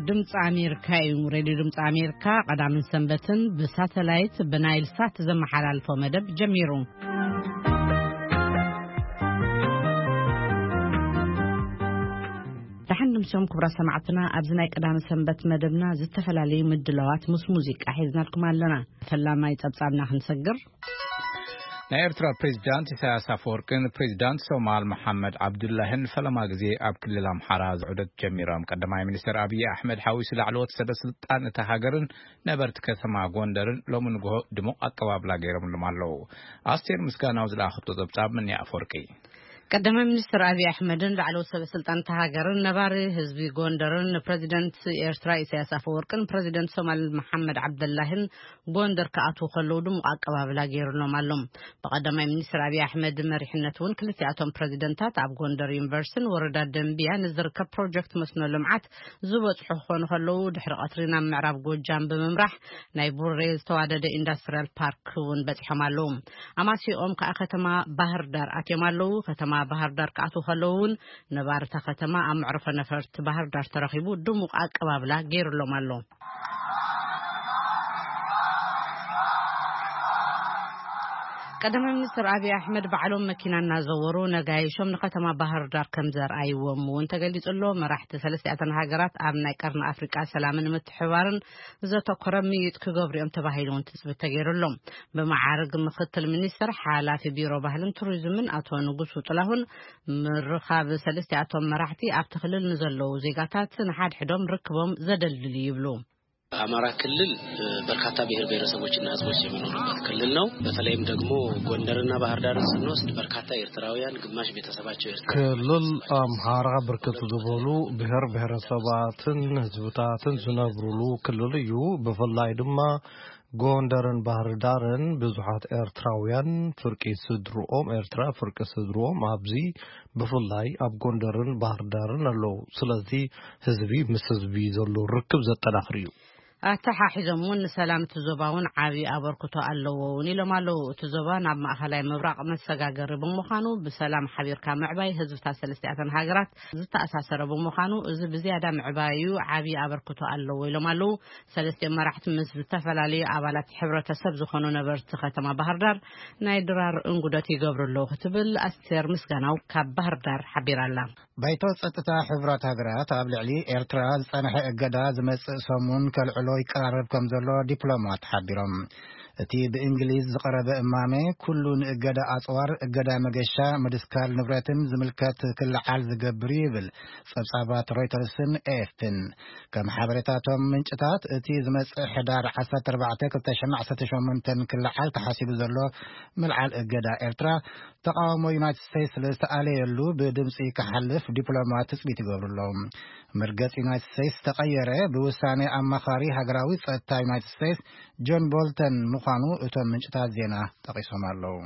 ድምፂ ኣሜሪካ እዩ። ሬድዮ ድምፂ ኣሜሪካ ቀዳምን ሰንበትን ብሳተላይት ብናይል ሳት ዘመሓላልፎ መደብ ጀሚሩ። ደሓን ድምሶም ክቡራት ሰማዕትና፣ ኣብዚ ናይ ቀዳመ ሰንበት መደብና ዝተፈላለዩ ምድላዋት ምስ ሙዚቃ ሒዝናልኩም ኣለና። ፈላማይ ጸብጻብና ክንሰግር። ናይ ኤርትራ ፕሬዚዳንት ኢሳያስ ኣፈወርቅን ፕሬዚዳንት ሶማል መሓመድ ዓብዱላህን ፈለማ ግዜ ኣብ ክልል ኣምሓራ ዑደት ጀሚሮም። ቀዳማይ ሚኒስትር ኣብይ ኣሕመድ ሓዊሱ ላዕለዎት ሰበ ስልጣን እታ ሃገርን ነበርቲ ከተማ ጎንደርን ሎሚ ንግሆ ድሙቕ ኣቀባብላ ገይሮምሎም ኣለዉ። ኣስቴር ምስጋናው ዝለኣኸቶ ጸብጻብ ምንያ ኣፈወርቂ። ቀዳማይ ሚኒስትር ኣብይ ኣሕመድን ላዕለዎት ሰበ ስልጣን እታ ሃገርን ነባሪ ህዝቢ ጎንደርን ንፕሬዚደንት ኤርትራ ኢሳያስ ኣፈወርቅን ፕሬዚደንት ሶማል መሓመድ ዓብደላህን ጎንደር ክኣትዉ ከለዉ ድሙቕ ኣቀባብላ ገይሩሎም ኣሎ። ብቀዳማይ ሚኒስትር ኣብይ ኣሕመድ መሪሕነት እውን ክልቲኣቶም ፕሬዚደንታት ኣብ ጎንደር ዩኒቨርሲቲን ወረዳ ደንቢያ ንዝርከብ ፕሮጀክት መስኖ ልምዓት ዝበጽሑ ክኾኑ ከለዉ፣ ድሕሪ ቀትሪ ናብ ምዕራብ ጎጃም ብምምራሕ ናይ ቡሬ ዝተዋደደ ኢንዱስትሪያል ፓርክ እውን በጺሖም ኣለዉ። ኣማሲኦም ከኣ ከተማ ባህር ዳር ኣትዮም ኣለዉ። ከተማ ባህር ዳር ክኣትዉ ከለዉ እውን ነባርታ ከተማ ኣብ መዕረፎ ነፈርቲ ባህር ዳር ተረኺቡ ድሙቕ ኣቀባብላ ገይሩሎም ኣሎ። ቀዳማይ ሚኒስትር ኣብይ ኣሕመድ ባዕሎም መኪና እናዘወሩ ነጋይሾም ንከተማ ባህር ዳር ከም ዘርኣይዎም እውን ተገሊጹ ኣሎ። መራሕቲ ሰለስቲኣተን ሃገራት ኣብ ናይ ቀርኒ ኣፍሪቃ ሰላምን ምትሕባርን ዘተኮረ ምይጥ ክገብሩ እዮም ተባሂሉ እውን ትጽቢት ተገይሩሎም። ብመዓርግ ምክትል ሚኒስትር ሓላፊ ቢሮ ባህልን ቱሪዝምን ኣቶ ንጉሱ ጥላሁን ምርኻብ ሰለስቲኣቶም መራሕቲ ኣብቲ ክልል ንዘለዉ ዜጋታት ንሓድሕዶም ርክቦም ዘደልድል እዩ ይብሉ። አማራ ክልል በርካታ ብሔር ብሔረሰቦችና ህዝቦች የሚኖሩበት ክልል ነው። በተለይም ደግሞ ጎንደርና ባህር ዳርን ስንወስድ በርካታ ኤርትራውያን፣ ግማሽ ቤተሰባቸው ኤርትራ። ክልል ኣምሓራ ብርክት ዝበሉ ብሔር ብሔረሰባትን ህዝብታትን ዝነብሩሉ ክልል እዩ። ብፍላይ ድማ ጎንደርን ባህር ዳርን ብዙሓት ኤርትራውያን ፍርቂ ስድርኦም፣ ኤርትራ ፍርቂ ስድርኦም ኣብዚ ብፍላይ ኣብ ጎንደርን ባህር ዳርን ኣለዉ። ስለዚ ህዝቢ ምስ ህዝቢ ዘሎ ርክብ ዘጠናኽር እዩ። ኣተሓሒዞም እውን ንሰላም እቲ ዞባ እውን ዓብዪ ኣበርክቶ ኣለዎ እውን ኢሎም ኣለዉ። እቲ ዞባ ናብ ማእኸላይ ምብራቕ መሰጋገሪ ብምዃኑ ብሰላም ሓቢርካ ምዕባይ ህዝብታት ሰለስቲኣተን ሃገራት ዝተኣሳሰረ ብምዃኑ እዚ ብዝያዳ ምዕባዩ ዓብዪ ኣበርክቶ ኣለዎ ኢሎም ኣለዉ። ሰለስቲኦም መራሕቲ ምስ ዝተፈላለዩ ኣባላት ሕብረተሰብ ዝኾኑ ነበርቲ ከተማ ባህር ዳር ናይ ድራር እንጉደት ይገብሩ ኣለዉ ክትብል ኣስቴር ምስጋናው ካብ ባህር ዳር ሓቢራ ኣላ። ባይቶ ጸጥታ ሕቡራት ሃገራት ኣብ ልዕሊ ኤርትራ ዝጸንሐ እገዳ ዝመጽእ ሰሙን ከልዕሎ ይቀራረብ ከም ዘሎ ዲፕሎማት ሓቢሮም። እቲ ብእንግሊዝ ዝቐረበ እማመ ኩሉ ንእገዳ ኣጽዋር፣ እገዳ መገሻ፣ ምድስካል ንብረትን ዝምልከት ክለዓል ዝገብር እዩ ይብል ጸብጻባት ሮይተርስን ኤኤፍፒን። ከም ሓበሬታቶም ምንጭታት፣ እቲ ዝመጽእ ሕዳር ዓሰርተ ኣርባዕተ ክልተ ሽሕን ዓሰርተ ሸሞንተን ክለዓል ተሓሲቡ ዘሎ ምልዓል እገዳ ኤርትራ ተቃውሞ ዩናይትድ ስቴትስ ዝተኣለየሉ ብድምፂ ክሓልፍ ዲፕሎማት ትፅቢት ይገብሩ ኣለዉ። መርገፂ ዩናይትድ ስቴትስ ተቐየረ ብውሳኔ ኣማኻሪ ሃገራዊ ፀጥታ ዩናይትድ ስቴትስ ጆን ቦልተን ምዃኑ እቶም ምንጭታት ዜና ጠቒሶም ኣለዉ።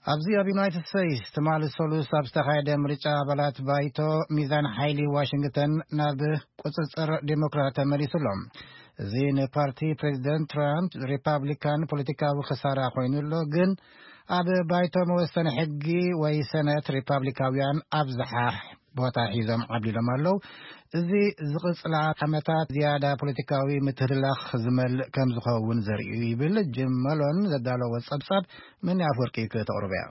ኣብዚ ኣብ ዩናይትድ ስቴትስ ትማሊ ሰሉስ ኣብ ዝተኻየደ ምርጫ ኣባላት ባይቶ ሚዛን ሓይሊ ዋሽንግተን ናብ ቁፅፅር ዴሞክራት ተመሊሱ ኣሎ። እዚ ንፓርቲ ፕሬዚደንት ትራምፕ ሪፓብሊካን ፖለቲካዊ ክሳራ ኮይኑ ኣሎ። ግን ኣብ ባይቶ መወሰኒ ሕጊ ወይ ሰነት ሪፓብሊካውያን ኣብዝሓ ቦታ ሒዞም ዓብሊሎም ኣለዉ። እዚ ዝቕፅላ ዓመታት ዝያዳ ፖለቲካዊ ምትህልላኽ ዝመልእ ከም ዝኸውን ዘርኢ እዩ ይብል ጅም መሎን ዘዳለዎ ጸብጻብ። ምን ኣፍወርቂ ከተቕርበያ።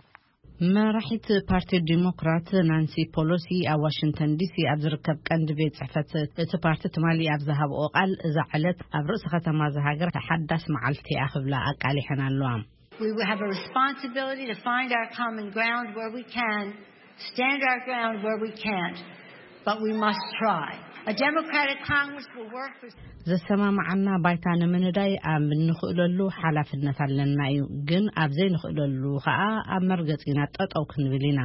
መራሒት ፓርቲ ዲሞክራት ናንሲ ፖሎሲ ኣብ ዋሽንግተን ዲሲ ኣብ ዝርከብ ቀንዲ ቤት ጽሕፈት እቲ ፓርቲ ትማሊ ኣብ ዝሃብኦ ቃል፣ እዛ ዕለት ኣብ ርእሲ ከተማ እዛ ሃገር ሓዳስ መዓልቲ እያ ክብላ ኣቃሊሐን ኣለዋ። We have a responsibility to find our common ground where we can, stand our ground where we can't, but we must try. A democratic Congress will work for ዘሰማማዓና ባይታ ንምንዳይ ኣብ እንኽእለሉ ሓላፍነት ኣለና እዩ። ግን ኣብ ዘይንኽእለሉ ኸኣ ኣብ መርገጺና ጠጠው ክንብል ኢና።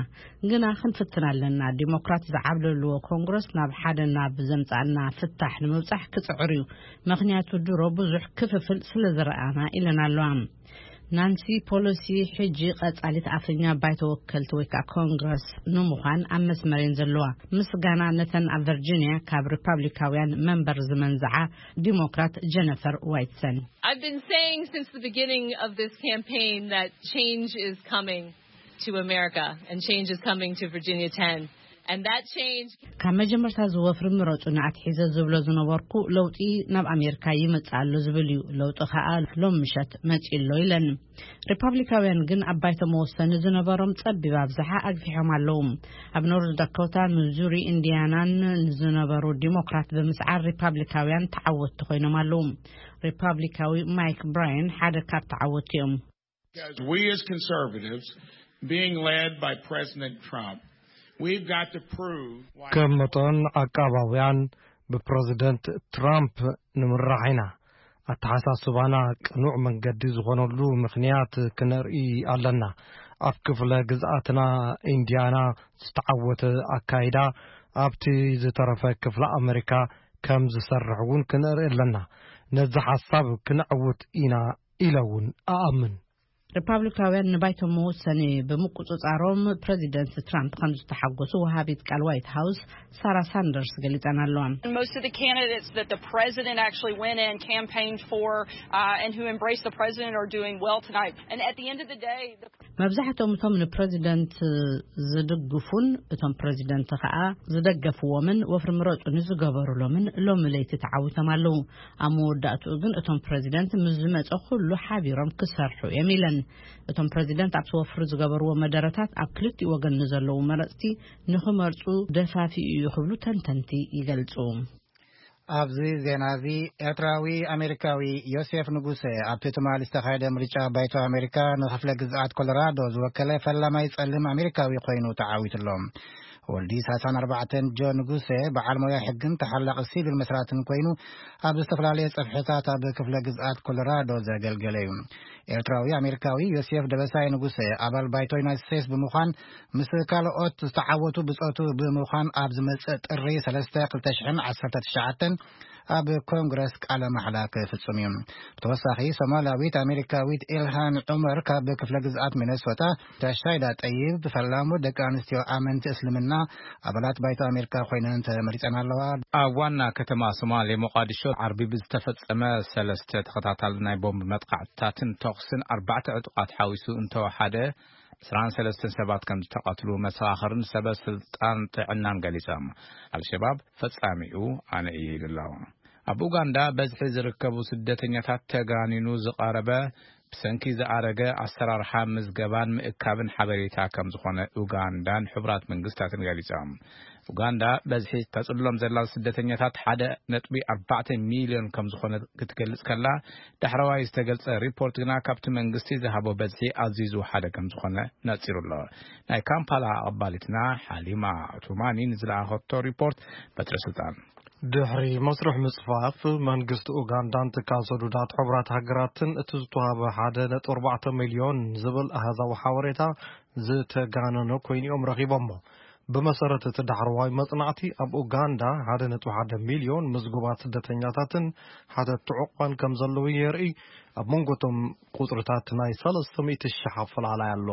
ግና ክንፍትን ኣለና። ዲሞክራት ዝዓብለልዎ ኮንግረስ ናብ ሓደ ናብ ዘምጻና ፍታሕ ንምብጻሕ ክጽዕር እዩ። ምኽንያቱ ድሮ ብዙሕ ክፍፍል ስለ ዝረኣና ኢለን ኣለዋ። ናንሲ ፖሎሲ ሕጂ ቀጻሊት ኣፈኛ ባይቶ ወከልቲ ወይ ከዓ ኮንግረስ ንምዃን ኣብ መስመር እየን ዘለዋ። ምስጋና ነተን ኣብ ቨርጂኒያ ካብ ሪፓብሊካውያን መንበር ዝመንዝዓ ዲሞክራት ጀነፈር ዋይትሰን። I've been saying since the beginning of this campaign that change is coming to America and change is coming to Virginia ten. And that change ካብ መጀመርታ ዝወፍሪ ምረጹ ንኣትሒዘ ዝብሎ ዝነበርኩ ለውጢ ናብ ኣሜሪካ ይመጽእ ኣሎ ዝብል እዩ። ለውጢ ከኣ ሎም ምሸት መጺእ ኣሎ ኢለን። ሪፓብሊካውያን ግን ኣብ ባይቶ መወሰኒ ዝነበሮም ጸቢብ ኣብዝሓ ኣግፊሖም ኣለዉ። ኣብ ኖርዝ ዳኮታ፣ ሚዙሪ፣ ኢንዲያናን ንዝነበሩ ዲሞክራት ብምስዓር ሪፓብሊካውያን ተዓወትቲ ኮይኖም ኣለዉ። ሪፓብሊካዊ ማይክ ብራየን ሓደ ካብ ተዓወትቲ እዮም። As we as conservatives, being led by President Trump, we've got to prove why ከም መጠን ዓቃባውያን ብፕረዚደንት ትራምፕ ንምራሕ ኢና። ኣተሓሳስባና ቅኑዕ መንገዲ ዝኾነሉ ምኽንያት ክነርኢ ኣለና። ኣብ ክፍለ ግዝኣትና ኢንዲያና ዝተዓወተ ኣካይዳ ኣብቲ ዝተረፈ ክፍለ ኣመሪካ ከም ዝሰርሕ እውን ክነርኢ ኣለና። ነዚ ሓሳብ ክነዕውት ኢና ኢለ እውን እኣምን። ሪፓብሊካውያን ንባይቶ መወሰኒ ብምቁጽጻሮም ፕረዚደንት ትራምፕ ከም ዝተሓጎሱ ወሃቢት ቃል ዋይት ሃውስ ሳራ ሳንደርስ ገሊጸን ኣለዋ። Most of the candidates that the president actually went and campaigned for uh, and who embraced the president are doing well tonight. And at the end of the day, the መብዛሕትኦም እቶም ንፕረዚደንት ዝድግፉን እቶም ፕረዚደንት ከኣ ዝደገፍዎምን ወፍሪ ምረጹኒ ዝገበሩሎምን ሎሚ ለይቲ ተዓዊቶም ኣለዉ። ኣብ መወዳእትኡ ግን እቶም ፕረዚደንት ምስ ዝመጸ ኩሉ ሓቢሮም ክሰርሑ እዮም ኢለን። እቶም ፕረዚደንት ኣብቲ ወፍሪ ዝገበርዎ መደረታት ኣብ ክልቲኡ ወገን ንዘለዉ መረጽቲ ንኽመርጹ ደፋፊኡ እዩ ክብሉ ተንተንቲ ይገልጹ። ኣብዚ ዜና እዚ ኤርትራዊ ኣሜሪካዊ ዮሴፍ ንጉሰ ኣብቲ ትማሊ ዝተኻየደ ምርጫ ባይቶ ኣሜሪካ ንክፍለ ግዝኣት ኮሎራዶ ዝወከለ ፈላማይ ጸሊም ኣሜሪካዊ ኮይኑ ተዓዊቱ ኣሎ። ወልዲ ሰላሳን ኣርባዕተን ጆ ንጉሰ በዓል ሞያ ሕግን ተሓላቒ ሲቪል መስራትን ኮይኑ ኣብ ዝተፈላለየ ጽፍሕታት ኣብ ክፍለ ግዝኣት ኮሎራዶ ዘገልገለ እዩ። ኤርትራዊ ኣሜሪካዊ ዮሴፍ ደበሳይ ንጉሰ ኣባል ባይቶ ዩናይትድ ስቴትስ ብምዃን ምስ ካልኦት ዝተዓወቱ ብጾቱ ብምዃን ኣብ ዝመጽእ ጥሪ ሰለስተ ክልተ ሽሕን ዓሰርተ ትሽዓተን ኣብ ኮንግረስ ቃለ ማሕላ ክፍጽም እዩ። ብተወሳኺ ሶማላዊት ኣሜሪካዊት ኢልሃን ዑመር ካብ ክፍለ ግዝኣት ሚነሶታ፣ ራሻይዳ ጠይብ ፈላሙ ደቂ ኣንስትዮ ኣመንቲ እስልምና ኣባላት ባይቶ ኣሜሪካ ኮይነን ተመሪጸን ኣለዋ። ኣብ ዋና ከተማ ሶማሌ ሞቃዲሾ ዓርቢ ብዝተፈጸመ ሰለስተ ተኸታታሊ ናይ ቦምብ መጥቃዕትታትን ተኹስን ኣርባዕተ ዕጡቓት ሓዊሱ እንተወሓደ ዕስራን ሰለስተን ሰባት ከም ዝተቐትሉ መሰኻኽርን ሰበ ስልጣን ጥዕናን ገሊጾም። ኣልሸባብ ፈጻሚኡ ኣነ እየ ኢሉ ኣሎ። ኣብ ኡጋንዳ በዝሒ ዝርከቡ ስደተኛታት ተጋኒኑ ዝቐረበ ብሰንኪ ዝኣረገ ኣሰራርሓ ምዝገባን ምእካብን ሓበሬታ ከም ዝኾነ ኡጋንዳን ሕቡራት መንግስታትን ገሊጾም። ኡጋንዳ በዝሒ ተጽሎም ዘላ ስደተኛታት ሓደ ነጥቢ ኣርባዕተ ሚልዮን ከም ዝኾነ ክትገልጽ ከላ፣ ዳሕረዋይ ዝተገልጸ ሪፖርት ግና ካብቲ መንግስቲ ዝሃቦ በዝሒ ኣዝዩ ዝወሓደ ከም ዝኾነ ነጺሩ ኣሎ። ናይ ካምፓላ ኣቐባሊትና ሓሊማ ቱማኒ ንዝለኣኸቶ ሪፖርት በትረ ስልጣን። ድሕሪ መስርሕ ምጽፋፍ መንግስቲ ኡጋንዳን ትካል ሰዱዳት ሕቡራት ሃገራትን እቲ ዝተዋህበ ሓደ ነጥቢ ኣርባዕተ ሚልዮን ዝብል ኣሃዛዊ ሓበሬታ ዝተጋነነ ኮይኑ እዮም ረኺቦሞ። ብመሰረት እቲ ዳሕረዋይ መጽናዕቲ ኣብ ኡጋንዳ ሓደ ነጥቢ ሓደ ሚልዮን ምዝጉባት ስደተኛታትን ሓተትቲ ዕቑባን ከም ዘለዉ የርኢ። ኣብ መንጎ እቶም ቁጽርታት ናይ ሰለስተ ሚእቲ ሽሕ ኣፈላላይ ኣሎ።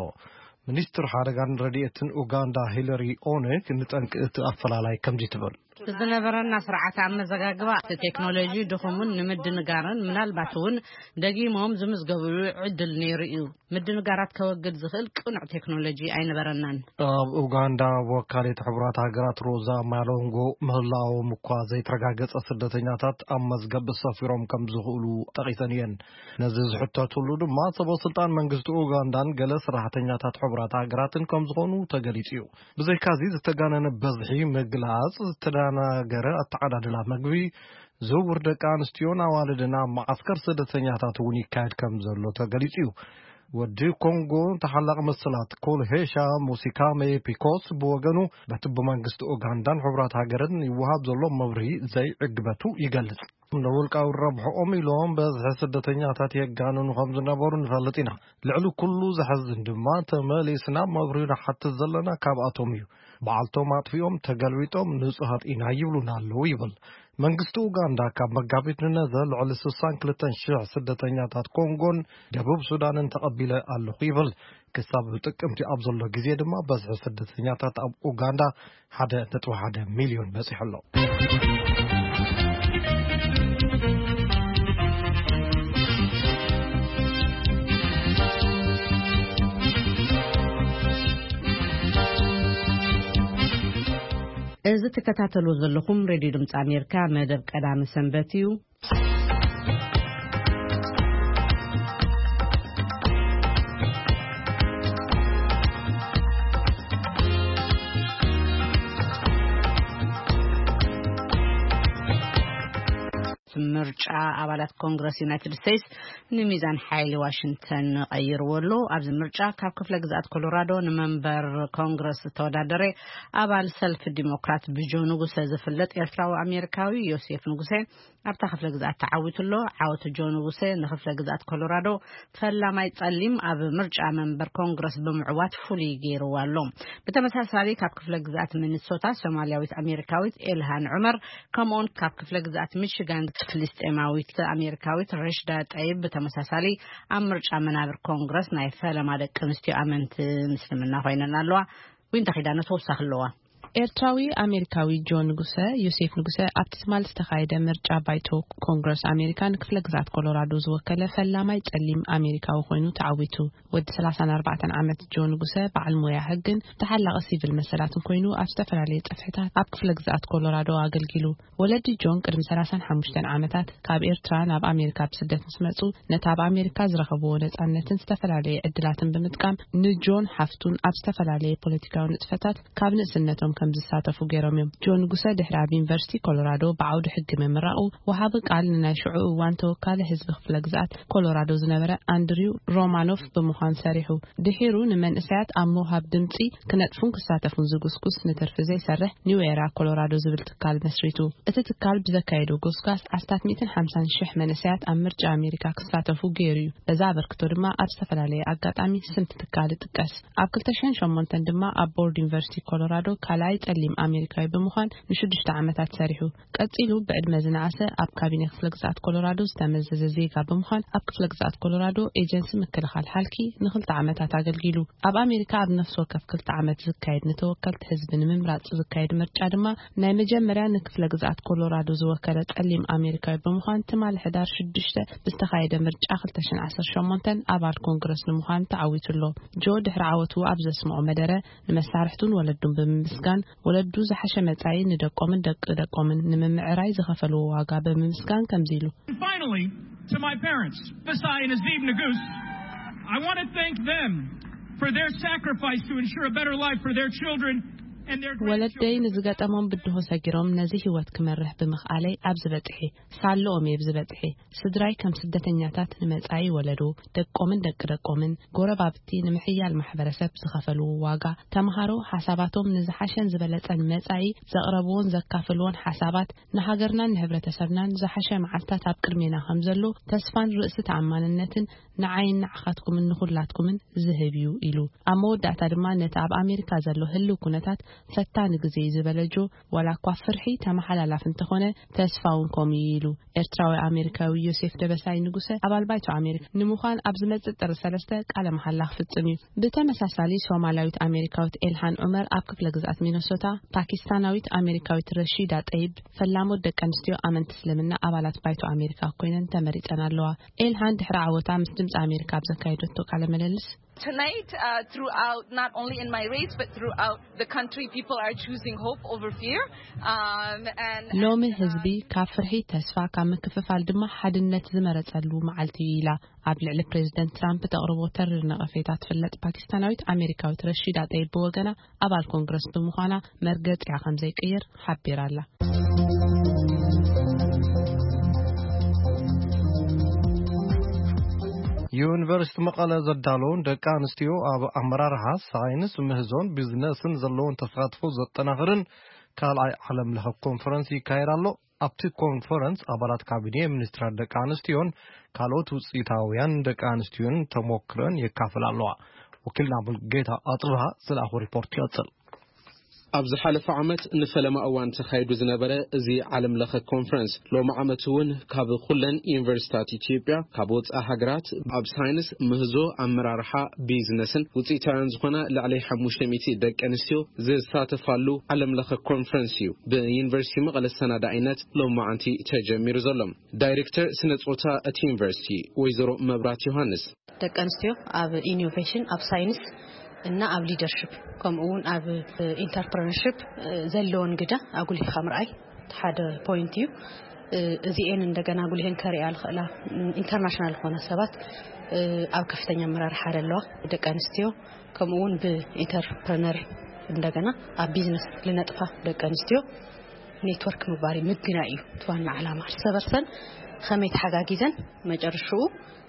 ሚኒስትር ሓደጋን ረድኤትን ኡጋንዳ ሂለሪ ኦኔክ ንጠንቂ እቲ ኣፈላላይ ከምዚ ትብል። ዝነበረና ስርዓት ኣመዘጋግባ እቲ ቴክኖሎጂ ድኹምን ንምድንጋርን ምናልባት እውን ደጊሞም ዝምዝገብሉ ዕድል ነይሩ እዩ። ምድንጋራት ከወግድ ዝኽእል ቅኑዕ ቴክኖሎጂ ኣይነበረናን። ኣብ ኡጋንዳ ወካሊት ሕቡራት ሃገራት ሮዛ ማሎንጎ ምህላዎም እኳ ዘይተረጋገጸ ስደተኛታት ኣብ መዝገብ ሰፊሮም ከም ዝኽእሉ ጠቒሰን እየን። ነዚ ዝሕተትሉ ድማ ሰበ ስልጣን መንግስቲ ኡጋንዳን ገለ ሰራሕተኛታት ሕቡራት ሃገራትን ከም ዝኾኑ ተገሊጹ እዩ። ብዘይካዚ ዝተጋነነ በዝሒ ምግላጽ ዝተደናገረ ኣተዓዳድላ መግቢ፣ ዝውውር ደቂ ኣንስትዮን ኣዋልድን ኣብ መዓስከር ስደተኛታት እውን ይካየድ ከም ዘሎ ተገሊጹ እዩ። ወዲ ኮንጎ ተሓላቂ መሰላት ኮልሄሻ ሙሲካሜ ፒኮስ ብወገኑ በቲ ብመንግስቲ ኡጋንዳን ሕቡራት ሃገርን ይወሃብ ዘሎ መብርሂ ዘይዕግበቱ ይገልጽ። ንውልቃዊ ረብሕኦም ኢሎም በዝሒ ስደተኛታት የጋንኑ ከም ዝነበሩ ንፈልጥ ኢና። ልዕሊ ኩሉ ዘሐዝን ድማ ተመሊስና መብርሂ ንሓትት ዘለና ካብኣቶም እዩ። በዓልቶም ኣጥፊኦም ተገልቢጦም ንጹሃት ኢና ይብሉና ኣለዉ ይብል። መንግስቲ ኡጋንዳ ካብ መጋቢት ንነዘ ልዕሊ ስሳን ክልተን ሽሕ ስደተኛታት ኮንጎን ደቡብ ሱዳንን ተቐቢለ ኣለኹ ይብል። ክሳብ ጥቅምቲ ኣብ ዘሎ ግዜ ድማ በዝሒ ስደተኛታት ኣብ ኡጋንዳ ሓደ ነጥቢ ሓደ ሚልዮን በጺሑ ኣሎ። እዚ ትከታተሉ ዘለኹም ሬድዮ ድምፂ ኣሜሪካ መደብ ቀዳሚ ሰንበት እዩ። ምርጫ ኣባላት ኮንግረስ ዩናይትድ ስቴትስ ንሚዛን ሓይሊ ዋሽንግተን ቀይርዎ ኣሎ። ኣብዚ ምርጫ ካብ ክፍለ ግዝኣት ኮሎራዶ ንመንበር ኮንግረስ ዝተወዳደረ ኣባል ሰልፊ ዲሞክራት ብጆ ንጉሰ ዝፍለጥ ኤርትራዊ ኣሜሪካዊ ዮሴፍ ንጉሰ ኣብታ ክፍለ ግዝኣት ተዓዊቱ ኣሎ። ዓወት ጆ ንጉሰ ንክፍለ ግዝኣት ኮሎራዶ ፈላማይ ጸሊም ኣብ ምርጫ መንበር ኮንግረስ ብምዕዋት ፍሉይ ገይርዎ ኣሎ። ብተመሳሳሊ ካብ ክፍለ ግዝኣት ሚኒሶታ ሶማልያዊት ኣሜሪካዊት ኤልሃን ዑመር፣ ከምኡውን ካብ ክፍለ ግዝኣት ሚሽጋን ፍልስጤማዊት ኣሜሪካዊት ረሽዳ ጠይብ ብተመሳሳሊ ኣብ ምርጫ መናብር ኮንግረስ ናይ ፈለማ ደቂ ኣንስትዮ ኣመንቲ ምስልምና ኮይነን ኣለዋ። ዊንታ ኪዳነ ተወሳኺ ኣለዋ። ኤርትራዊ ኣሜሪካዊ ጆ ንጉሰ፣ ዮሴፍ ንጉሰ፣ ኣብቲ ትማል ዝተኻየደ ምርጫ ባይቶ ኮንግረስ ኣሜሪካ ንክፍለ ግዝኣት ኮሎራዶ ዝወከለ ፈላማይ ጸሊም ኣሜሪካዊ ኮይኑ ተዓዊቱ። ወዲ ሰላሳን ኣርባዕተን ዓመት ጆ ንጉሰ በዓል ሞያ ሕግን ተሓላቒ ሲቪል መሰላትን ኮይኑ ኣብ ዝተፈላለየ ጽፍሕታት ኣብ ክፍለ ግዝኣት ኮሎራዶ ኣገልጊሉ። ወለዲ ጆን ቅድሚ ሰላሳን ሓሙሽተን ዓመታት ካብ ኤርትራ ናብ ኣሜሪካ ብስደት ምስ መጹ፣ ነቲ ኣብ ኣሜሪካ ዝረኸብዎ ነጻነትን ዝተፈላለየ ዕድላትን ብምጥቃም ንጆን ሓፍቱን ኣብ ዝተፈላለየ ፖለቲካዊ ንጥፈታት ካብ ንእስነቶም ከም ዝሳተፉ ገይሮም እዮም። ጆን ንጉሰ ድሕሪ ኣብ ዩኒቨርሲቲ ኮሎራዶ ብዓውዲ ሕጊ ምምራቑ፣ ወሃቢ ቃል ንናይ ሽዑ እዋን ተወካሊ ህዝቢ ክፍለ ግዝኣት ኮሎራዶ ዝነበረ ኣንድሪው ሮማኖፍ ብምዃን ሰሪሑ። ድሒሩ ንመንእሰያት ኣብ ምውሃብ ድምጺ ክነጥፉን ክሳተፉን ዝጉስጉስ ንትርፊ ዘይሰርሕ ኒው ኤራ ኮሎራዶ ዝብል ትካል መስሪቱ። እቲ ትካል ብዘካየዶ ጎስጓስ ኣስታት ሚእትን ሓምሳን ሽሕ መንእሰያት ኣብ ምርጫ ኣሜሪካ ክሳተፉ ገይሩ እዩ። በዛ ኣበርክቶ ድማ ኣብ ዝተፈላለየ ኣጋጣሚ ስም እቲ ትካል ይጥቀስ። ኣብ ክልተ ሽሕን ሸሞንተን ድማ ኣብ ቦርድ ዩኒቨርሲቲ ኮሎራዶ ካልኣይ ጸሊም ኣሜሪካዊ ብምዃን ንሽዱሽተ ዓመታት ሰሪሑ። ቀጺሉ ብዕድመ ዝነኣሰ ኣብ ካቢኔ ክፍለ ግዝኣት ኮሎራዶ ዝተመዘዘ ዜጋ ብምዃን ኣብ ክፍለ ግዝኣት ኮሎራዶ ኤጀንሲ ምክልኻል ሓልኪ ንኽልተ ዓመታት ኣገልጊሉ። ኣብ ኣሜሪካ ኣብ ነፍሲ ወከፍ ክልተ ዓመት ዝካየድ ንተወከልቲ ህዝቢ ንምምራጽ ዝካየድ ምርጫ ድማ ናይ መጀመርያ ንክፍለ ግዝኣት ኮሎራዶ ዝወከለ ጸሊም ኣሜሪካዊ ብምዃን ትማሊ ሕዳር ሽዱሽተ ብዝተኻየደ ምርጫ ክልተ ሽሕን ዓሰርተ ሸሞንተን ኣባል ኮንግረስ ንምዃን ተዓዊቱ ኣሎ። ጆ ድሕሪ ዓወቱ ኣብ ዘስምዖ መደረ ንመሳርሕቱን ወለዱን ብምምስጋን ወለዱ ዝሓሸ መጻኢ ንደቆምን ደቂ ደቆምን ንምምዕራይ ዝኸፈልዎ ዋጋ ብምምስጋን ከምዚ ኢሉ። Finally, to my parents, Besai and Azeem Nagus, I want to thank them for their sacrifice to ensure a better life for their children and their ወለደይ grandchildren. ንዝገጠሞም ብድሆ ሰጊሮም ነዚ ህይወት ክመርሕ ብምኽኣለይ ኣብዚ በጽሐ። ሳለኦም እየ ኣብዚ በጽሐ። ስድራይ ከም ስደተኛታት ንመጻኢ ወለዶ፣ ደቆምን ደቂ ደቆምን፣ ጎረባብቲ ንምሕያል ማሕበረሰብ ዝኸፈልዎ ዋጋ፣ ተምሃሮ ሓሳባቶም ንዝሓሸን ዝበለጸን መጻኢ ዘቕረብዎን ዘካፈልዎን ሓሳባት ንሃገርናን ንህብረተሰብናን ዝሓሸ መዓልታት ኣብ ቅድሜና ከም ዘሎ ተስፋን ርእሲ ተኣማንነትን ንዓይን ንዓኻትኩምን ንኹላትኩምን ዝህብ እዩ ኢሉ። ኣብ መወዳእታ ድማ ነቲ ኣብ ኣሜሪካ ዘሎ ህልው ኩነታት ፈታኒ ግዜ እዩ ዝበለ ጆ፣ ዋላ እኳ ፍርሒ ተመሓላላፍ እንተኾነ ተስፋ እውን ከምኡ እዩ ኢሉ። ኤርትራዊ ኣሜሪካዊ ዮሴፍ ደበሳይ ንጉሰ ኣባል ባይቶ ኣሜሪካ ንምዃን ኣብ ዝመጽእ ጥሪ ሰለስተ ቃለ መሓላ ክፍጽም እዩ። ብተመሳሳሊ ሶማላዊት ኣሜሪካዊት ኤልሃን ዑመር ኣብ ክፍለ ግዝኣት ሚነሶታ፣ ፓኪስታናዊት ኣሜሪካዊት ረሺዳ ጠይብ ፈላሞት ደቂ ኣንስትዮ ኣመንቲ እስልምና ኣባላት ባይቶ ኣሜሪካ ኮይነን ተመሪጸን ኣለዋ። ኤልሃን ድሕሪ ዓወታ ምስ ድምፂ ኣሜሪካ ኣብ ዘካየደቶ ቃለ ምልልስ፣ Tonight, uh, throughout, not only in my race, but throughout the country, people are choosing hope over fear. Um, and, ሎሚ and, uh, ህዝቢ ካብ ፍርሒ ተስፋ፣ ካብ ምክፍፋል ድማ ሓድነት ዝመረጸሉ መዓልቲ እዩ ኢላ። ኣብ ልዕሊ ፕሬዚደንት ትራምፕ ተቕርቦ ተሪር ነቐፌታ ትፍለጥ ፓኪስታናዊት ኣሜሪካዊት ረሺዳ ጠይብ ብወገና ኣባል ኮንግረስ ብምዃና መርገጺኣ ከም ዘይቅየር ሓቢራ ኣላ። ዩኒቨርሲቲ መቐለ ዘዳለውን ደቂ ኣንስትዮ ኣብ ኣመራርሓ፣ ሳይንስ፣ ምህዞን ቢዝነስን ዘለውን ተሳትፎ ዘጠናኽርን ካልኣይ ዓለም ለኸ ኮንፈረንስ ይካየድ ኣሎ። ኣብቲ ኮንፈረንስ ኣባላት ካቢኔ፣ ሚኒስትራት ደቂ ኣንስትዮን ካልኦት ውፅኢታውያን ደቂ ኣንስትዮን ተሞክረን የካፍላ ኣለዋ። ወኪልና ሙልጌታ ኣፅብሃ ዝለኣኹ ሪፖርት ይቐፅል። ኣብ ዝሓለፈ ዓመት ንፈለማ እዋን ተኻይዱ ዝነበረ እዚ ዓለም ለኸ ኮንፈረንስ፣ ሎሚ ዓመት እውን ካብ ኩለን ዩኒቨርሲታት ኢትዮጵያ፣ ካብ ወፃኢ ሃገራት፣ ኣብ ሳይንስ፣ ምህዞ፣ ኣመራርሓ፣ ቢዝነስን ውፅኢታውያን ዝኾና ልዕሊ ሓሙሽተ ሚእቲ ደቂ ኣንስትዮ ዝሳተፋሉ ዓለም ለኸ ኮንፈረንስ እዩ ብዩኒቨርሲቲ መቐለ ሰናዳኢነት ሎማዓንቲ ተጀሚሩ ዘሎ። ዳይሬክተር ስነ ፆታ እቲ ዩኒቨርሲቲ ወይዘሮ መብራት ዮሃንስ፣ ደቂ ኣንስትዮ ኣብ ኢኖቬሽን፣ ኣብ ሳይንስ፣ እና ኣብ ሊደርሽፕ ከምኡ እውን ኣብ ኢንተርፕረነርሽፕ ዘለዎን ግደ ኣጉሊህካ ምርኣይ ሓደ ፖይንት እዩ። እዚኤን እንደገና ኣጉሊህን ከርእያ ዝኽእላ ኢንተርናሽናል ዝኾነ ሰባት ኣብ ከፍተኛ ኣመራርሓ ዘለዋ ደቂ ኣንስትዮ ከምኡ እውን ብኢንተርፕረነር እንደገና ኣብ ቢዝነስ ዝነጥፋ ደቂ ኣንስትዮ ኔትወርክ ምግባር እዩ፣ ምግናይ እዩ እቲ ዋና ዓላማ። እርሰ በርሰን ከመይ ተሓጋጊዘን መጨረሽኡ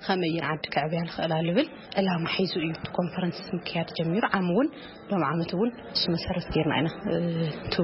ከመይ እየን ዓዲ ክዕብያ ዝኽእላ ዝብል ዕላማ ሒዙ እዩ እቲ ኮንፈረንስ ምክያድ ጀሚሩ። ዓም እውን ሎም ዓመት እውን እሱ መሰረት ጌርና ኢና እቲ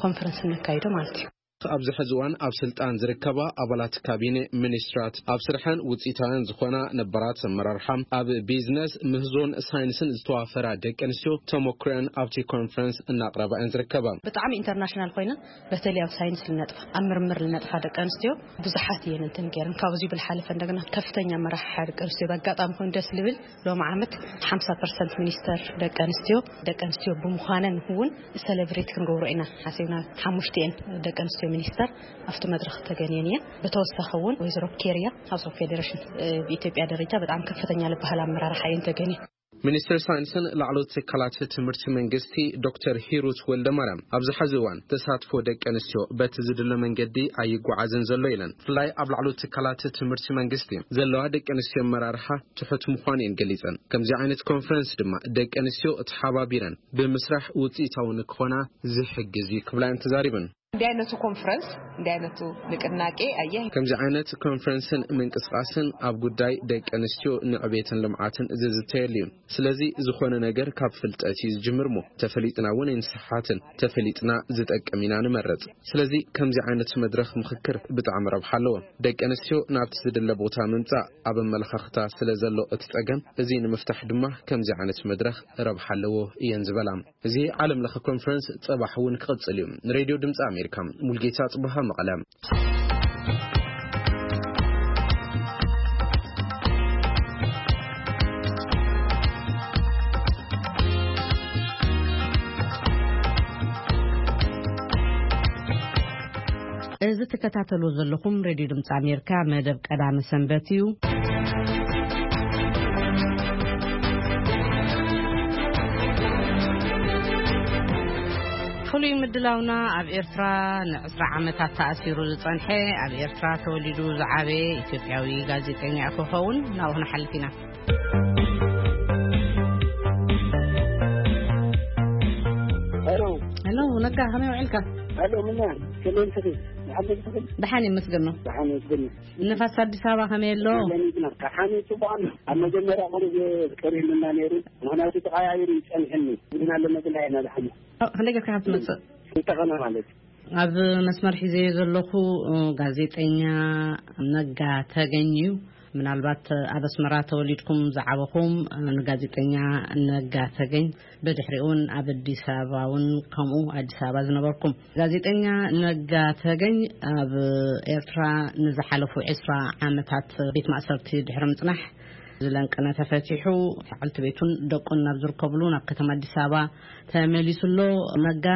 ኮንፈረንስ እነካይዶ ማለት እዩ። ኣብዚ ሕዚ እዋን ኣብ ስልጣን ዝርከባ ኣባላት ካቢኔ፣ ሚኒስትራት፣ ኣብ ስርሐን ውፅኢታውያን ዝኾና ነባራት ኣመራርሓ፣ ኣብ ቢዝነስ፣ ምህዞን ሳይንስን ዝተዋፈራ ደቂ ኣንስትዮ ተመክሮን ኣብቲ ኮንፈረንስ እናቕረባ እየን ዝርከባ። ብጣዕሚ ኢንተርናሽናል ኮይና፣ በተለይ ኣብ ሳይንስ ልነጥፋ ኣብ ምርምር ልነጥፋ ደቂ ኣንስትዮ ብዙሓት እየን እንትን ገይረን። ካብዚ ብልሓለፈ እንደገና ከፍተኛ መራሕሓ ደቂ ኣንስትዮ በኣጋጣሚ ኮይኑ ደስ ልብል ሎም ዓመት ሓምሳ ፐርሰንት ሚኒስተር ደቂ ኣንስትዮ ደቂ ኣንስትዮ ብምዃነን እውን ሰለብሬት ክንገብሮ ኢና ሓሲብና። ሓሙሽተ እየን ደቂ ኣንስትዮ ሚኒስተር ኣብቲ መድረኽ ተገንየን እየን። ብተወሳኺ እውን ወይዘሮ ኬርያ ሃውስ ኦፍ ፌዴሬሽን ብኢትዮጵያ ደረጃ በጣም ከፍተኛ ልበሃል ኣመራርሓ እየን ተገንየን። ሚኒስትር ሳይንስን ላዕለዎት ትካላት ትምህርቲ መንግስቲ ዶክተር ሂሩት ወልደማርያም ኣብዚ ሐዚ እዋን ተሳትፎ ደቂ ኣንስትዮ በቲ ዝድለ መንገዲ ኣይጓዓዝን ዘሎ ኢለን። ብፍላይ ኣብ ላዕለዎት ትካላት ትምህርቲ መንግስቲ ዘለዋ ደቂ ኣንስትዮ ኣመራርሓ ትሑት ምዃኑ እየን ገሊጸን። ከምዚ ዓይነት ኮንፈረንስ ድማ ደቂ ኣንስትዮ ተሓባቢረን ብምስራሕ ውፅኢታዊ ንክኾና ዝሕግዝ እዩ ክብላ እየን ተዛሪበን። እንዲህ አይነቱ ኮንፈረንስ፣ እንዲህ አይነቱ ንቅናቄ አየህ ከምዚ ዓይነት ኮንፈረንስን ምንቅስቃስን ኣብ ጉዳይ ደቂ ኣንስትዮ ንዕቤትን ልምዓትን ዝዝተየሉ እዩ። ስለዚ ዝኾነ ነገር ካብ ፍልጠት እዩ ዝጅምር እሞ ተፈሊጥና እውን ኣይንስሓትን፣ ተፈሊጥና ዝጠቅም ኢና ንመርጽ። ስለዚ ከምዚ ዓይነት መድረኽ ምኽክር ብጣዕሚ ረብሓ ኣለዎ። ደቂ ኣንስትዮ ናብቲ ዝድለ ቦታ ምምጻእ ኣብ ኣመለኻኽታ ስለ ዘሎ እቲ ጸገም እዚ ንምፍታሕ ድማ ከምዚ ዓይነት መድረኽ ረብሓ ኣለዎ እየን ዝበላ። እዚ ዓለም ለኸ ኮንፈረንስ ጸባሕ እውን ክቕጽል እዩ። ንሬድዮ ድምፂ ኣሜሪካ ሙልጌታ ጽቡሃ መቐለ። እዚ ትከታተሉ ዘለኹም ሬድዮ ድምፂ ኣሜሪካ መደብ ቀዳመ ሰንበት እዩ። ፍሉይ ምድላውና ኣብ ኤርትራ ንዕስራ ዓመታት ተኣሲሩ ዝጸንሐ ኣብ ኤርትራ ተወሊዱ ዝዓበየ ኢትዮጵያዊ ጋዜጠኛ ክኸውን ናብኡ ክንሓልፍ ኢና። ሄሎ። ሄሎ፣ ነጋ፣ ከመይ ውዒልካ? ሄሎ፣ ምና፣ ከመይ ትኽእል? ደሓን ትኽእል? ደሓን ይመስገን ነው። ደሓን ይመስገን ነው። ንፋስ ኣዲስ ኣበባ ከመይ ኣሎ? ለሚድና። ደሓን እዩ፣ ጽቡቕ ኣሎ። ኣብ መጀመርያ ቁሩብ ቀሪብና ነይሩ፣ ምኽንያቱ ተቐያይሩ ይጸንሐኒ። ግና ለመግና ኢና ደሓን። ኦ፣ ክንደይ ጌርካ ካብ ትመጽእ? እንተኸነ ማለት እዩ። ኣብ መስመር ሒዘዮ ዘለኹ፣ እ፣ ጋዜጠኛ ነጋ ተገኝ እዩ። ምናልባት ኣብ ኣስመራ ተወሊድኩም ዝዓበኹም፣ እ፣ ንጋዜጠኛ ነጋ ተገኝ፣ ብድሕሪኡ እውን ኣብ ኣዲስ ኣበባ እውን ከምኡ ኣዲስ ኣበባ ዝነበርኩም። ጋዜጠኛ ነጋ ተገኝ ኣብ ኤርትራ ንዝሓለፉ ዕስራ ዓመታት ቤት ማእሰርቲ ድሕሪ ምጽናሕ ዝለንቅነ ተፈቲሑ፣ በዓልቲ ቤቱን ደቁን ናብ ዝርከብሉ ናብ ከተማ ኣዲስ ኣበባ ተመሊሱ ኣሎ። ነጋ፣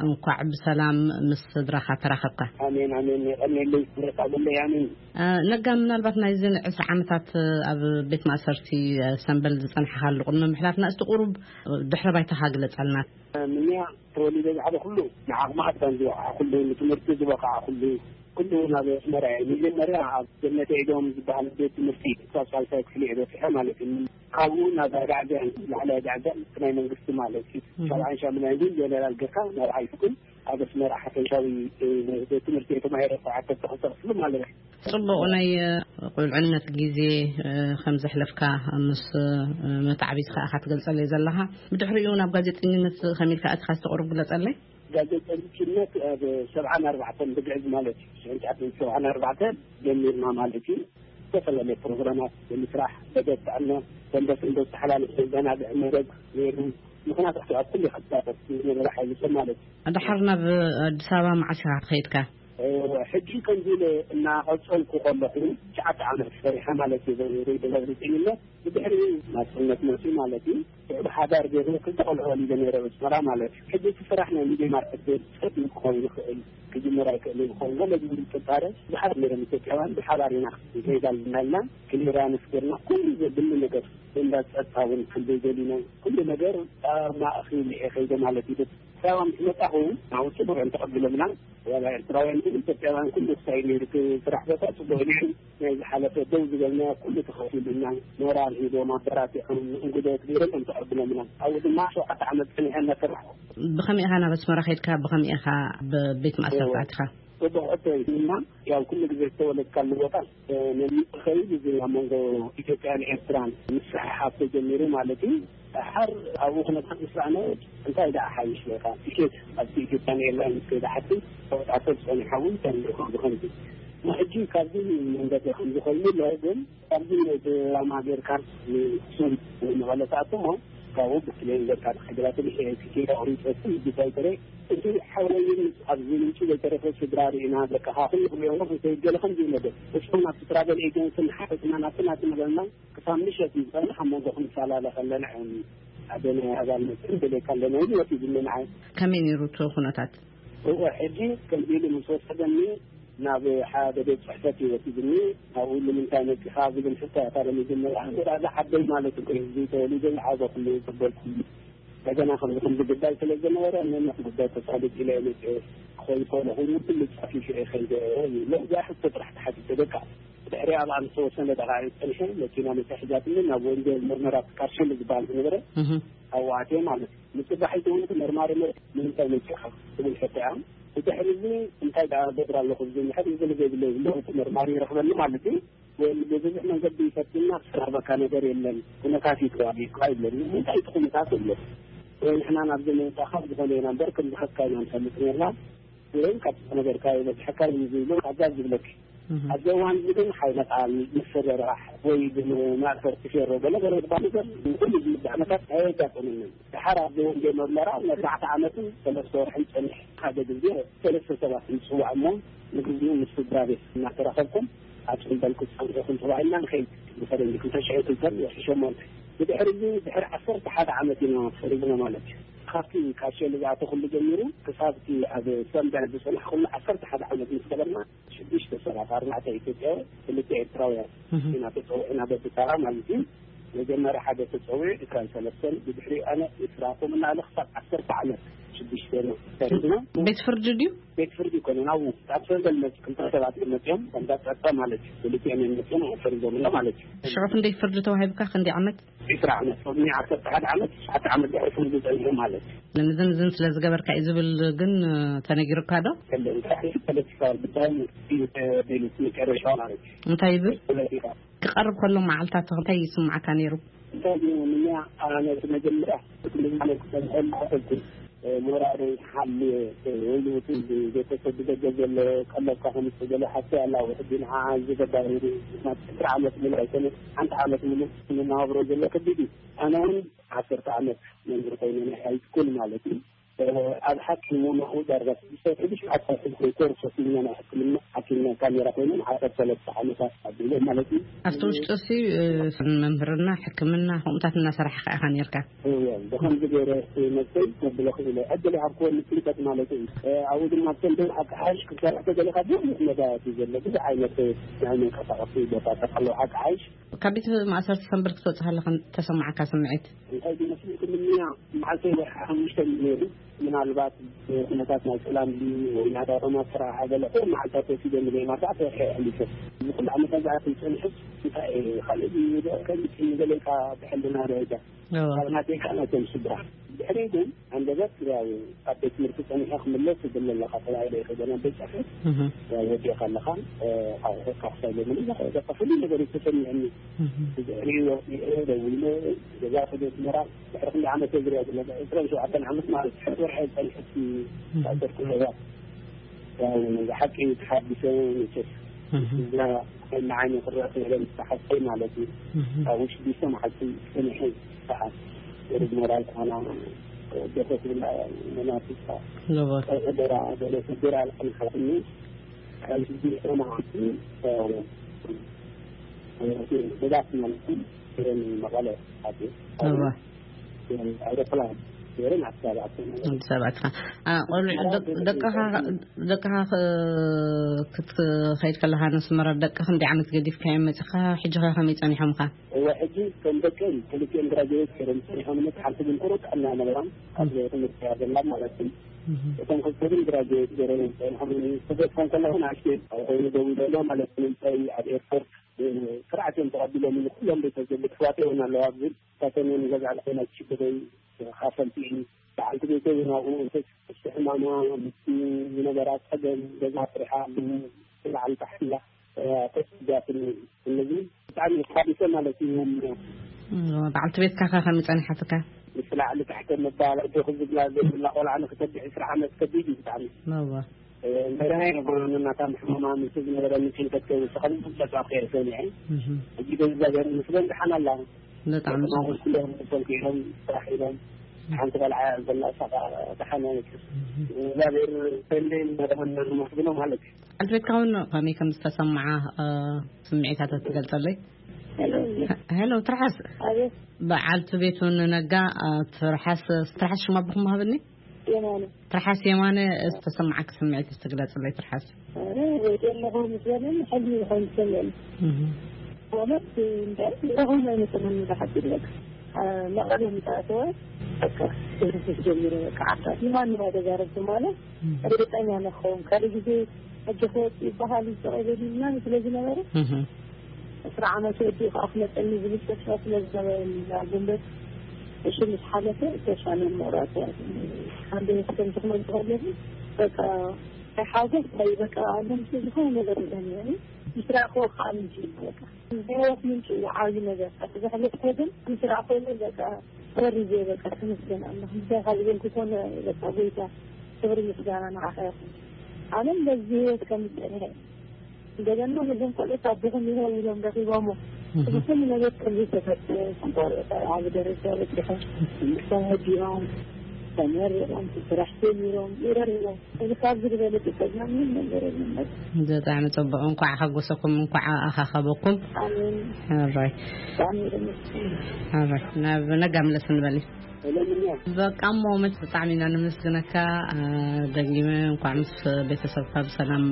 እንኳዕ ብሰላም ምስ ስድራኻ ተራኸብካ። ኣሜን፣ ኣሜን። የቐንየለይ፣ ምሕረት ኣበለይ፣ ኣሜን። እ፣ ነጋ፣ ምናልባት ናይዚ ዕስራ ዓመታት ኣብ ቤት ማእሰርቲ፣ እ፣ ሰምበል ዝጸንሐኻሉ ቅድሚ ምሕላፍና፣ እስቲ ቁሩብ ድሕረ ባይታኻ ግለጸልና። ምንያ ተወሊደ ዝዓበኹሉ ንዓቕሚ ኣዳም ዝበቕዓኹሉ፣ ንትምህርቲ ዝበቕዓኹሉ፣ ኩሉ ናብ ኣስመራ እየ። መጀመርያ ኣብ ገነት ዒዶም ዝበሃል ቤት ትምህርቲ ክሳብ ሳልሳይ ክፍሊ እየ በጺሐ ማለት እዩ። ካብኡ ናብ ኣዳዕዛን ላዕላይ ኣዳዕዛን ናይ መንግስቲ ማለት እዩ። እህ። ሻብዓን ሻምናይን ግን ጀነራል ጌርካ ናብ ሃይ ስኩል ኣብ ኣስመራ ሓፈሻዊ፣ እ፣ ቤት ትምህርቲ እየ ተማሂረ፣ ሸውዓተ ክፍሊ ማለት እዩ። ጽቡቕ ናይ፣ እ፣ ቁልዕነት ግዜ፣ እ፣ ከም ዘሕለፍካ ምስ፣ እ፣ መታዕቢቲ ከኣ ኢኻ ትገልጸለይ ዘለኻ። ብድሕሪኡ ናብ ጋዜጠኝነት ከመይ ኢልካ ኣቲኻ እስቲ ቁሩብ ግለጸለይ? ጋዜጠኝነት ኣብ ሰብዓን ኣርባዕተን ብግዕዝ ማለት እዩ። ሽሕን ትሽዓተ ሚእትን ሰብዓን ኣርባዕተን ጀሚርና ማለት እዩ። ዝተፈላለዩ ፕሮግራማት ብምስራሕ፣ መደብ ጥዕና፣ ሰንበት ሰንበት ዝተሓላለፈ ዘናግዕ መደብ ነይሩ። ምኽንያቱ ኣብ ኩሉ ይኸታተል ዝነበረ ሓይሊ ሰብ ማለት እዩ። ድሓር ናብ ኣዲስ ኣበባ መዓስ ኢኻ ከይድካ? ሕጂ ከምዚ ኢለ እናቐጸልኩ ከለኹ ትሽዓተ ዓመት ሰሪሐ ማለት እዩ። ሬድዮ ጋዜጠኝነት ብድሕሪኡ ናጽነት መጽኡ ማለት እዩ። ብሓዳር ገይረ ክልተ ቆልዑ ወሊደ ነይረ፣ ኣስመራ ማለት እዩ። ሕጂ እቲ ስራሕ ናይ ሚድያ ማርኬት ቤት ጸጥ ክኸውን ይኽእል፣ ክጅምር ኣይክእልን ይኸውን፣ ገለ ዝብል ጥርጣረ ብዙሓት ነይሮም ኢትዮጵያውያን። ብሓባር ኢና ክንከይድ ኣለና ኢልና ክሊራንስ ገርና ኩሉ ዘድሊ ነገር እንዳ ጸጥታ እውን ክንደይ ደሊና ኩሉ ነገር ኣብ ማእኸል እየ ከይደ ማለት እዩ። ሳባ ምስ መጻኹ ናብኡ ጽቡቕ እዮም ተቐቢሎምና። ዋላ ኤርትራውያን ግን ኢትዮጵያውያን ኩሉ ክሳይ ነይሩ፣ እቲ ስራሕ ቦታ ጽቡቕ እዩ ነይሩ። ናይ ዝሓለፈ ደው ዝበልና ኩሉ ተኸፊሉና፣ ሞራል ሂቦም ኣበራቲዖም እንግዶት ገይሮም እዮም ተቐቢሎምና። ኣብኡ ድማ ሸውዓተ ዓመት ጸኒሐ እናሰራሕኩ። ብኸመይ ኢኻ ናብ ኣስመራ ከይድካ? ብኸመይ ኢኻ ኣብ ቤት ማእሰርቲ እዎ። ኣቲኻ? ጽቡቕ ሕቶ እዩ። ድማ ያው ኩሉ ግዜ ዝተወለድካሉ ቦታ ነሚጡ ከይድ እዚ ኣብ መንጎ ኢትዮጵያን ኤርትራን ምስሕሓብ ተጀሚሩ ማለት እዩ። ድሓር ኣብኡ ኩነታት ምስ ረኣና እንታይ ደኣ ሓይሽ ኢኻ? ትኬት ኣብቲ ኢትዮጵያን ኤርላይንስ ከይደ ሓቲ ተወጣቶ ዝጸኒሓ እውን ተንልኹ ብኸምዚ። ሕጂ ካብዚ መንገዲ ከም ዝኾይኑ ኣሎ፣ ግን ካብዚ ድራማ ጌርካ ንሱን ንመቐለ ትኣቱ እሞ ካብኡ ብፕሌን ጌርካ ትኸይድ። ትኬት ኣቑሪጸ እቲ ጉዳይ ተረይ እቲ ሓወይን ኣብዚ ምንጪ ዘይተረፈ ስድራ ርኢና ደቅኻ ኩሉ ክሪኦ እንከይድ ገለ ከምዚ እዩ ነገር። እሱ ናብቲ ትራቨል ኤጀንሲ ንሓፈትና ናብቲ ናቲ ንበልና ክሳብ ምሸት ንጸንሕ ኣብ መንጎ ክንፈላለ ከለና እዮም ሓደ ናይ ኣባል መጽን ደልየካ ኣለና ኢሉ ወሲዱኒ ንዓይ። ከመይ ነይሩ እቲ ኩነታት? እወ፣ ሕጂ ከምዚ ኢሉ ምስ ወሰደኒ ናብ ሓደ ቤት ጽሕፈት እዩ ወሲዱኒ። ኣብኡ ንምንታይ መጺኻ ዝብል ሕቶ እያ እታ መጀመርያ። ወላ እዛ ዓደይ ማለት እኮ እዩ፣ ህዝቢ ተወሊደ ዝዓበኹሉ ዝጸበልኩሉ። እንደገና ከምዚ ከምዚ ጉዳይ ስለ ዝነበረ ነነት ጉዳይ ተሳልጥ ኢለ እየ መጽኤ። ክኸውን ከሎ ኮይኑ ኩሉ ጸፊፉ እየ ከይደ እዩ። ነዚኣ ሕቶ ጥራሕ ተሓቲተ በቃ። ድሕሪ ኣብኣ ምስ ተወሰነ ደቓይቕ ጸኒሐ መኪና መጻ ሒዛትኒ ናብ ወንጌል መርመራ ካርሸል ዝበሃል ዝነበረ እህ። ኣብኡ ኣትየ ማለት እዩ። ንጽባሒቱ እውን እቲ መርማሪ መ-፣ ንምንታይ መጺኻ? ትብል ሕቶ እያ። ብድሕሪ እዚ እንታይ ደኣ ገብር ኣለኹ ዝብል ሕቶ ዝብል ዘይብለይ ዝብሎ እቲ መርማሪ ይረኽበኒ ማለት እዩ። ወይ ብብዙሕ መንገዲ ይፈትንና ክስራበካ ነገር የለን። ኩነታት እዩ ተዋጊእካ ይብለኒ። እንታይ እቲ ኩነታት የለን። ወይ ንሕና ናብዚ ምምጻእካ ዝኾነ ኢና እምበር ከም ዝኸድካ ኢና ንፈልጥ ነርና። ወይ ካብቲ ዝነበርካዮ በጺሕካ እዩ ዝብሎ ካብዛ ዝብለኪ። እህ። ኣብዚ እዋን እዚ ግን ሓይለ ቃል፣ ምሰረራሕ ወይ ብማእሰርቲ ፌሮ ገለ ገለ ዝበሃል ነገር ኩሉ ዝምዳእ ኩነታት ኣየጋጠመንን። ድሓር ኣብዚ ወንጌል መርመራ ንኣርባዕተ ዓመትን ሰለስተ ወርሕን ጸኒሐ ሓደ ግዜ ሰለስተ ሰባት ይጽዋዕ እሞ ንግዚኡ ምስ ስድራ ቤት እናተራኸብኩም ኣብ ጽምበል ክጸንሑኹም ተባሂልና ንኸይድ ብፈረንጂ ክልተ ሽሕን ክልተን ወርሒ ሸሞንተ። ብድሕሪ እዚ ድሕሪ ዓሰርተ ሓደ ዓመት ኢና ፈሪድና ማለት እዩ። ካብቲ ካርሸል ዝኣተኹሉ ጀሚሩ ክሳብ እቲ ኣብ ሰንበል ዝጸናሕኩሉ ዓሰርተ ሓደ ዓመት ምስ ገበርና ሽዱሽተ ሰባት፣ ኣርባዕተ ኢትዮጵያውያን፣ ክልተ ኤርትራውያን እህ። ኢና ተጸዊዕና በብተራ ማለት እዩ። መጀመርያ ሓደ ተጸዊዑ ዕስራን ሰለስተን፣ ብድሕሪኡ ኣነ ዕስራ፣ ከምኡ እናበለ ክሳብ ዓሰርተ ዓመት ሽዱሽተ ኢና ፈሪድና። ቤት ፍርዲ ድዩ? ቤት ፍርዲ ኣይኮነን፣ ኣብኡ ኣብ ሰንበል መጽ-፣ ክልተ ሰባት እዮም መጺኦም፣ ከምዛ ጸጥታ ማለት እዩ። ክልቲኦም እዮም መጺኦም፣ ፈሪዶምና ማለት እዩ። ሽዑ ክንደይ ፍርዲ ተዋሂብካ? ክንደይ ዓመት? ዕስራ ዓመት፣ ሎሚ ዓሰርተ ሓደ ዓመት፣ ትሽዓተ ዓመት ድሕሪ ፍርዲ ጸኒሑ ማለት እዩ። ንዝን ዝን ስለ ዝገበርካ እዩ ዝብል ግን ተነጊሩካ ዶ? የለን፣ እንታይ ፖለቲካዊ ጉዳይ እዩ ተደልዩ መጨረሻ ማለት እዩ። እንታይ ይብል? ፖለቲካ። ክቐርብ ከሎ መዓልታት እንታይ ይስምዓካ ነይሩ? እንታይ እዩ፣ ንኛ ኣነ መጀመርያ ክልል ማለት ክሰምዐሉ ኣይፈልኩን። ሞራለይ ሓልየ ወይ እውን ቤተሰብ ብደገ ዘሎ ቀለብካ ከም ዝተገለ ሓፍቲ ኣላ። ሕጂ ንዓ እዚ ተባሂሉ ናብ ዕስራ ዓመት ሙሉእ ኣይኮነ፣ ሓንቲ ዓመት ሙሉእ ንናብሮ ዘሎ ከቢድ እዩ። ኣነ እውን ዓሰርተ ዓመት መምህር ኮይነ ናይ ሃይስኩል ማለት እዩ። ኣብ ሓኪም እውን ኣብኡ ዳርጋ ሽዱሽተ ሽዱሽተ ዓሰርተ ኮይነ ኮርስ ወሲድና ናይ ሕክምና ሓኪም ናይ ካሜራ ኮይነ ዓሰርተ ሰለስተ ዓመታት ኣቢለ ማለት እዩ። ኣብቲ ውሽጢ እሲ መምህርና ሕክምና ከምኡታት እናሰራሕካ ኢኻ ነርካ? እወ፣ ብኸምዚ ገይረ መስተይ ከብሎ ክእለ ዕድል ይሃብክዎ ንጭንቀት ማለት እዩ። ኣብኡ ድማ ብሰንበት ኣካሓሽ ክሰርሕ ተደሊኻ ብዙሕ መዳያት እዩ ዘሎ፣ ብዙሕ ዓይነት ናይ መንቀሳቐሲ ቦታታት ኣለዉ። ኣካሓሽ ካብ ቤት ማእሰርቲ ሰንበት ክትወጽእ ከለኻ ተሰማዓካ ስምዒት? እንታይ ዝመስል ክምንያ መዓልቲ ወርሒ ሓሙሽተ እዩ ነይሩ። ምናልባት ኩነታት ናይ ሰላም ድዩ ወይ ናይ ኣዳራማ ስራሕ ገለ መዓልታት ወሲደ ንዘይ ማርዳዕ ተወርሒ ኣሕሊፈ። እዚ ኩሉ ዓመታት ዝኣክል ጸኒሑ እንታይ ካልእ ድዩ ከምቲ ገለ ኢልካ ብሕልና ደረጃ እዎ። ካብ ናተይ ከዓ ናቶም ስድራ። ድሕሪ ግን ኣንደበት ያው ኣብ ቤት ትምህርቲ ጸኒሐ ክምለስ ይብል ኣለኻ ተባሂለ ይኸደ ናብ ቤት ጽሕፈት። እህ። ያው ወዲእካ ኣለኻ፣ እ፣ ኣቑሑትካ ክሳብ የምልእ፣ በቃ፣ በቃ፣ ፍሉይ ነገር እዩ ተሰሚዐኒ። እህ። ብድሕሪኡ ወዲኤ ደዊለ ገዛ ከደ ኣስመራ፣ ድሕሪ ክንደይ ዓመት እየ ዝሪኣ ዘለኹ? ዕስራን ሸውዓተን ዓመት ማለት እዩ። ሕድ ወርሒ ጸኒሐ እቲ እህ። ዝኣሰርኩ ገዛ። ያው ብሓቂ ተሓጒሰ መቸስ። እህ። እዛ ንዓይ ክረአ ክኢለ ምስ ሓፍተይ ማለት እዩ። እህ። ኣብ ውሽጢ ሽዱሽተ መዓልቲ ጸኒሐ ከዓ ወደ ሞራል ኮና ደሰ ትብላ መናፍስታ። እዎ። ደራ ደለ ስድራ ኣልዓልካትኒ ካብ ሽዱሽተ መዓልቲ ብዛት ማለት እዩ። መቐለ ኣትየ። እዎ። ኣውሮፕላን ገይረን ኣዲስ ኣበባ ኣትየን። ኣዲስ ኣበባ ኣትኻ። አ፣ ቆልዑ፣ ደቅ-፣ ደቅኻ፣ ደቅኻ ክ-፣ ክትኸይድ ከለኻ ነስመራ ደቅኻ ክንደይ ዓመት ገዲፍካዮም መጺኻ? ሕጂ ኸ ከመይ ጸኒሖምኻ? እወ፣ ሕጂ ከም ደቀይ ክልቲኦም ግራጅዌት ገይሮም ጸኒሖም፣ መጽሓፍቲ ግን ቁሩብ ጥዕና ነበሮም። ኣብ ትምህርቲ እያ ዘላ ማለት እዩ። እቶም ክልተ ግን ግራጅዌት ገይሮም ጸኒሖም። ክገጽ ከለኹ ንኣሽተይ ኮይኑ ደው ኢለ ኣሎ ማለት እዩ። ንምንታይ ኣብ ኤርፖርት ስርዓት እዮም ተቐቢሎም፣ ኩሎም ቤተሰብ ኣሕዋተይ እውን ኣለዋ። ግን እሳቶም እዮም ገዛ ለዓይና ክሽግረይ ተኻፈልቲ እዩ። በዓልቲ ቤተይ እውን ኣብኡ እንተስ ሕማማ ምስቲ ዝነበራ ጸገም ገዛ ስሪሓ ብላዕሊ ታሕቲ ኢላ ተሰዲዳትኒ። ስለዚ ብጣዕሚ ተሓቢሰ ማለት እዩ። እም፣ በዓልቲ ቤትካ ከ ከመይ ጸኒሓትካ? ምስ ላዕሊ ታሕቲ ምባል፣ ኣጆኺ ዝብላ ዘይብላ ቆልዓ ንክተድሕ ዕስራ ዓመት ከቢድ እዩ ብጣዕሚ። እወ። እ፣ መርሃ ይነበሩ እናታ ሕማማ ምስ ዝነበረ ምጭንቀት ከይውስኸሉ ብዙሕ ኣብ ከይደ ሰሚዐ። እህ። ሕጂ በዚ ዛገር ምስ በዝሓን ኣላ። ብጣዕሚ ደቂ ማሙስ ኩሎም ተሰንኪሎም ስራሕ ኢሎም። ሓንቲ ቆልዓ ዘላ እሳ ኸዓ ደሓን ኣይነት። እህ። እግዚኣብሔር ተንደይ እናተመነ ዝመስግኖ ማለት እዩ። በዓልቲ ቤትካ እውን ከመይ ከም ዝተሰምዓ፣ እ፣ ስምዒታት ትገልጸለይ? ሄሎ። ሄሎ፣ ትርሓስ። ኣቤት። በዓልቲ ቤቱ ንነጋ፣ እ፣ ትርሓስ፣ ትርሓስ ሽማ ኣቦኹም ሃብኒ? የማነ። ትርሓስ የማነ፣ ዝተሰማዓኪ ስምዒት እስቲ ግለጽለይ ትርሓስ። ኣረ፣ ወዲ ኣለኹ ምስ በለኒ፣ ሕልሚ ዝኾን ዝሰምዕኒ። እህ። ማለት፣ እንታይ፣ ረኹም ኣይመስለኒ፣ ብሓቂ ይብለካ። እ፣ መቐለ ምስ ኣተወ፣ በቃ፣ ትንፍስ ጀሚረ፣ በቃ፣ ዓርካ። ንማንም ኣይተዛረብኩ ማለት፣ እርግጠኛ ነኸውን። ካልእ ግዜ ሕጂ ክወጽእ ይበሃል፣ ይስቕ ይበል ምናምን ስለ ዝነበረ፣ እህ። ዕስራ ዓመት ወዲኡ ከዓ ክመጸኒ ዝብል ተስፋ ስለ ዝነበረ፣ ኣብ ጉንበት እሺ ምስ ሓለፈ ተስፋ ንምቑራጽ እያ። ሓንቲ ክተምቲ ክመጽእ ከለኹ፣ በቃ፣ ናይ ሓጎስ ናይ በቃ፣ ኣለምሲ ዝኾነ ነገር ይዘኒ። ምስ ረኣኽዎ ከዓ ምንጭ እዩ በቃ። ናይ ህይወት ምንጭ እዩ ዓብዪ ነገር። እቲ ዘሕለፍኩዎ ግን ምስ ረኣኽዎ ግን በቃ፣ ፈሪዘ በቃ፣ ተመስገን ኣምላኽ። ምስጋና ካብ ዝበልኩ ኮነ በቃ፣ ጎይታ፣ ክብሪ ምስጋና ንዓኻ ይኹን። ኣነ በዚ ህይወት ከም ዝጸንሐ፣ እንደገና ነዞም ቆልዑት ኣቦኹም ይኸው ኢሎም ረኺቦሞ። እህ። እዚ ኩሉ ነገር ከም ዘይተፈጠረ፣ ቆልዑት ኣብ ዓቢ ደረጃ በጺሖም፣ ትምህርቶም ወዲኦም፣ ተመሪቖም፣ ስራሕ ጀሚሮም፣ ይረርቦም። እዚ ካብዚ ዝበለጸ ጸጋ ምንም ነገር የለን። ብጣዕሚ ጽቡቕ። እንኳዕ ሓጎሰኩም፣ እንኳዕ ኣኻኸበኩም። ኣሜን። ሕራይ። ብጣዕሚ የመስግን። ሕራይ። ናብ ነጋ ምለስ ንበል። ሰላም እያ። በቃ እሞ መች ብጣዕሚ ኢና ነመስግነካ። አ፣ ደጊመ እንኳዕ ምስ ቤተሰብካ ብሰላም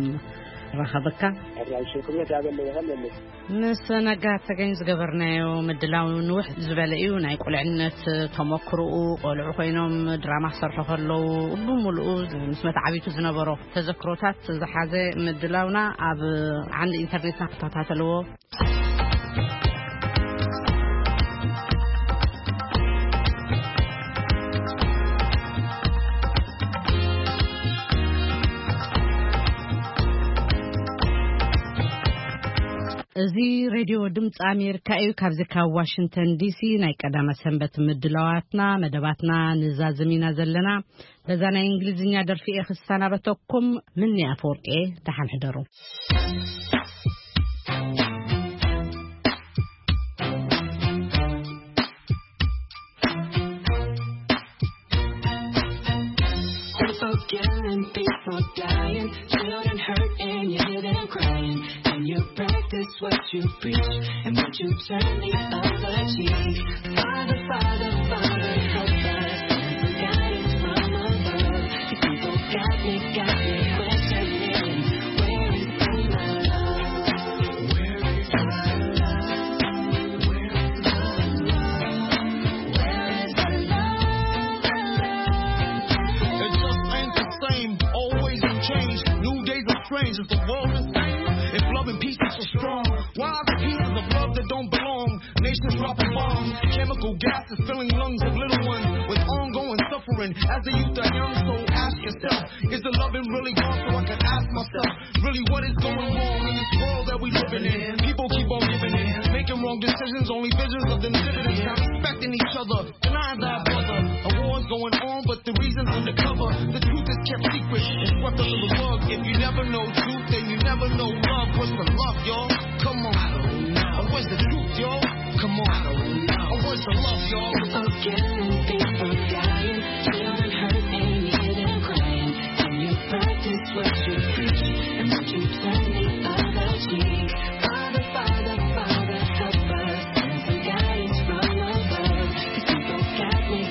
ረኸበካ። ሕራይ፣ ሽክርነት ያበለ ይኸለልስ። ምስ ነጋ ተገኝ ዝገበርናዮ ምድላው ንውሕ ዝበለ እዩ። ናይ ቁልዕነት ተመክሮኡ፣ ቆልዑ ኮይኖም ድራማ ክሰርሑ ከለዉ፣ ብምሉኡ ምስ መተዓቢቱ ዝነበሮ ተዘክሮታት ዝሓዘ ምድላውና ኣብ ዓንዲ ኢንተርኔትና ክተኸታተልዎ። እዚ ሬድዮ ድምፂ ኣሜሪካ እዩ። ካብዚ ካብ ዋሽንግተን ዲሲ ናይ ቀዳመ ሰንበት ምድላዋትና፣ መደባትና ንዛዝም ኢና ዘለና። በዛ ናይ እንግሊዝኛ ደርፊ እየ ክሰናበተኩም። ምኒ ኣፈወርቂ እየ። ደሓን ሕደሩ። People killing, people dying, children hurt and you hear them crying. And you practice what you preach, and what you turn the other cheek. Father, Father, Father, help us. Send some guidance from above. These people got me, got me questioning. Where is my love? Where is my love? Where is my love? Where is the love? It just ain't the same. Always in change. New days are strange. Is the world the same? If love and peace is so strong, why are the pieces of love that don't belong? Nations dropping bombs, chemical gases filling lungs of little ones with ongoing suffering. As the youth are young, so ask yourself, is the loving really gone? So I can ask myself, really what is going wrong in this world that we living in? People keep on giving in, making wrong decisions, only visions of them dividends, not respecting each other. Deny thy brother. A war's going on, but the reason's undercover. The truth is kept secret. It's swept under the rug. If you never know truth, then you never know love. What's the love, y'all? Come on. I don't know. Or where's the truth, y'all? Come on. I don't know. Or where's the love, y'all? People killing, people dying, children hurt and you hear them crying. Can you practice what you preach? And would you turn the other cheek? Father, Father, Father, help us. Send some guidance from above. These people got me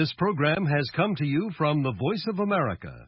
This program has come to you from the Voice of America,